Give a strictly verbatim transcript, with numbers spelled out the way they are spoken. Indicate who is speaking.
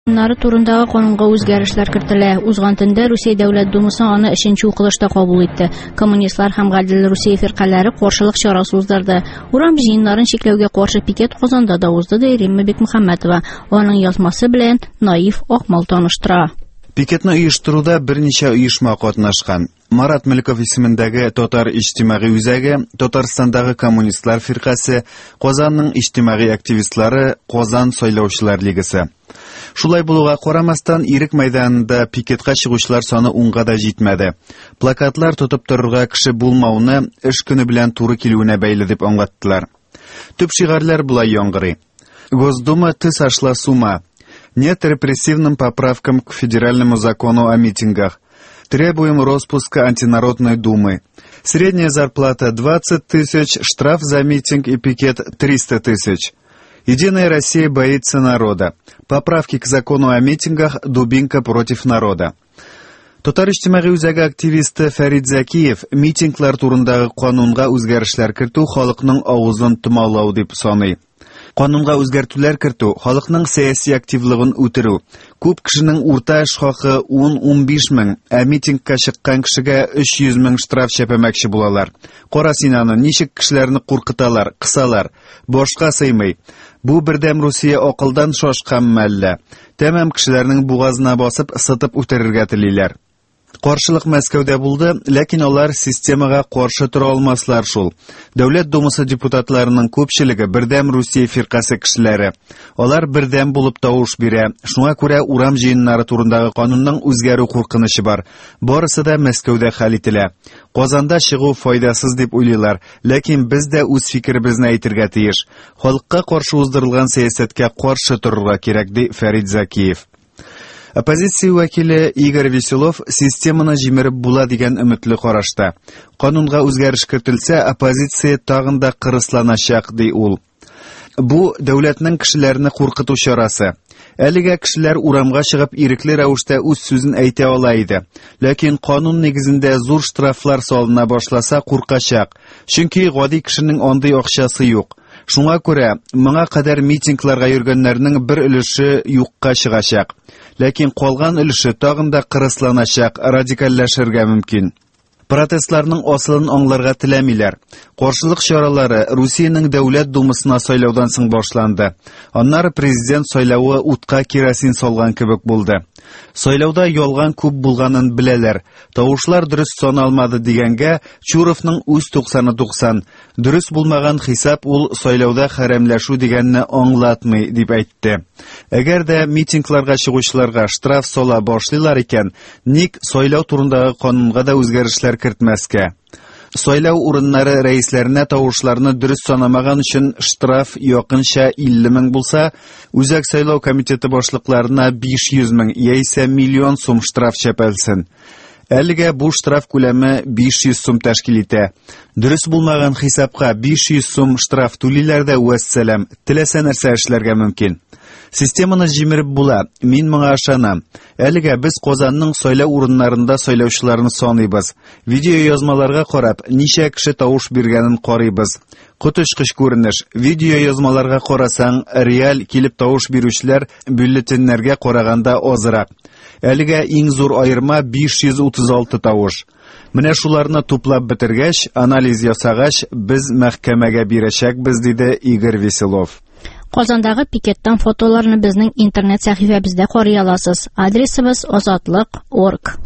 Speaker 1: Җыеннары турындагы канунга үзгәрешләр кертелә. Узган төндә Русия Дәүләт Думасы аны өченче укылышта кабул итте. Коммунистлар һәм Гадел Русия фиркаләре каршылык чарасы уздырды. Урам җыеннарын чикләүгә каршы пикет Казанда да узды, ди Римма Бекмөхәммәтова. Аның язмасы белән Наиф Акмал таныштыра.
Speaker 2: Пикетны оештыруда берничә оешма катнашкан. Марат Мөлеков исемендәге Татар иҗтимагый үзәге, Татарстандагы коммунистлар фиркасе, Казанның иҗтимагый активистлары, Казан сайлаучылар лигасы. Шулай булуга карамастан, Ирек мәйданында пикетка чыгучылар саны унга да җитмәде. Плакатлар тотып торырга кеше булмауны эш көне белән туры килүенә бәйле дип аңлаттылар. Төп шигарьләр болай яңгырый: Госдума, ты сошла с ума. Нет репрессивным поправкам к федеральному закону о митингах. Требуем роспуска антинародной думы. Средняя зарплата двадцать тысяч, штраф за митинг и пикет триста тысяч. Единая Россия боится народа. Поправки к закону о митингах – дубинка против народа. Татар иҗтимагый үзәге активисты Фәрид Зәкиев митинглар турындагы канунга үзгәрешләр кертү халыкның авызын томалау дип саный. Канунга үзгәртүләр кертү халыкның сәяси активлыгын үтерү. Күп кешенең урта эш хакы ун-унбиш мең, ә митингка чыккан кешегә өч йөз мең штраф чәпәмәкче булалар. Кара син аны, ничек кешеләрне куркыталар, кысалар. Башка сыймый. Бу Бердәм Русия акылдан шашканмы әллә? Тәмам кешеләрнең бугазына басып, сытып үтерергә телиләр. Каршылык Мәскәүдә булды, ләкин алар системага каршы тора алмаслар шул. Дәүләт Думасы депутатларының күпчелеге Бердәм Русия фиркасе кешеләре. Алар бердәм булып тавыш бирә. Шуңа күрә урам җыеннары турындагы канунның үзгәрү куркынычы бар. Барысы да Мәскәүдә хәл ителә. Казанда чыгу файдасыз дип уйлыйлар, ләкин без дә үз фикеребезне әйтергә тиеш. Халыкка каршы уздырылган сәясәткә каршы торырга кирәк, ди Фәрид Зәкиев. Оппозиция вәкиле Игорь Веселов системаны җимереп була дигән өметле карашта. Канунга үзгәреш кертелсә, оппозиция тагын да кырысланачак, ди ул. Бу дәүләтнең кешеләрне куркыту чарасы. Әлегә кешеләр урамга чыгып ирекле рәвештә үз сүзен әйтә ала иде. Ләкин канун нигезендә зур штрафлар салына башласа куркачак. Чөнки гади кешенең андый акчасы юк. Шуңа күрә моңа кадәр митингларга йөргәннәрнең бер өлеше юкка чыгачак. Ләкин калган өлеше тагын да кырысланачак, радикальләшергә мөмкин. Протестларның асылын аңларга теләмиләр. Каршылык чаралары Русиянең Дәүләт Думасына сайлаудан соң башланды. Аннары президент сайлавы утка керосин салган кебек булды. Сайлауда ялган күп булганын беләләр. Тавышлар дөрес саналмады дигәнгә Чуровның үз туксаны туксан. Дөрес булмаган хисап ул сайлауда хәрәмләшү дигәнне аңлатмый дип әйтте. Әгәр дә митингларга чыгучыларга штраф сала башлыйлар икән, ник сайлау турындагы канунга да үзгәрешләр кертмәскә? Сайлау урыннары рәисләренә тавышларны дөрес санамаган өчен штраф якынча илле мең булса, Үзәк сайлау комитеты башлыкларына биш йөз мең яисә миллион сум штраф чәпәлсен. Әлегә бу штраф күләме биш йөз сум тәшкил итә. Дөрес булмаган хисапка биш йөз сум штраф түлиләр дә вәссәлам, теләсә нәрсә эшләргә мөмкин. Системаны җимереп була, мин моңа ышанам. Әлегә без Казанның сайлау урыннарында сайлаучыларны саныйбыз. Видео язмаларга карап, ничә кеше тавыш биргәнен карыйбыз. Коточкыч күренеш. Видео язмаларга карасаң, реаль килеп тавыш бирүчеләр бюллетеннәргә караганда азрак. Әлегә иң зур аерма биш йөз утыз алты тавыш. Менә шуларны туплап бетергәч, анализ ясагач, без мәхкәмәгә бирәчәкбез, диде Игорь Веселов.
Speaker 1: Казандагы пикеттан фотоларны безнең интернет сәхифәбездә карый аласыз. Адресыбыз азатлык орг.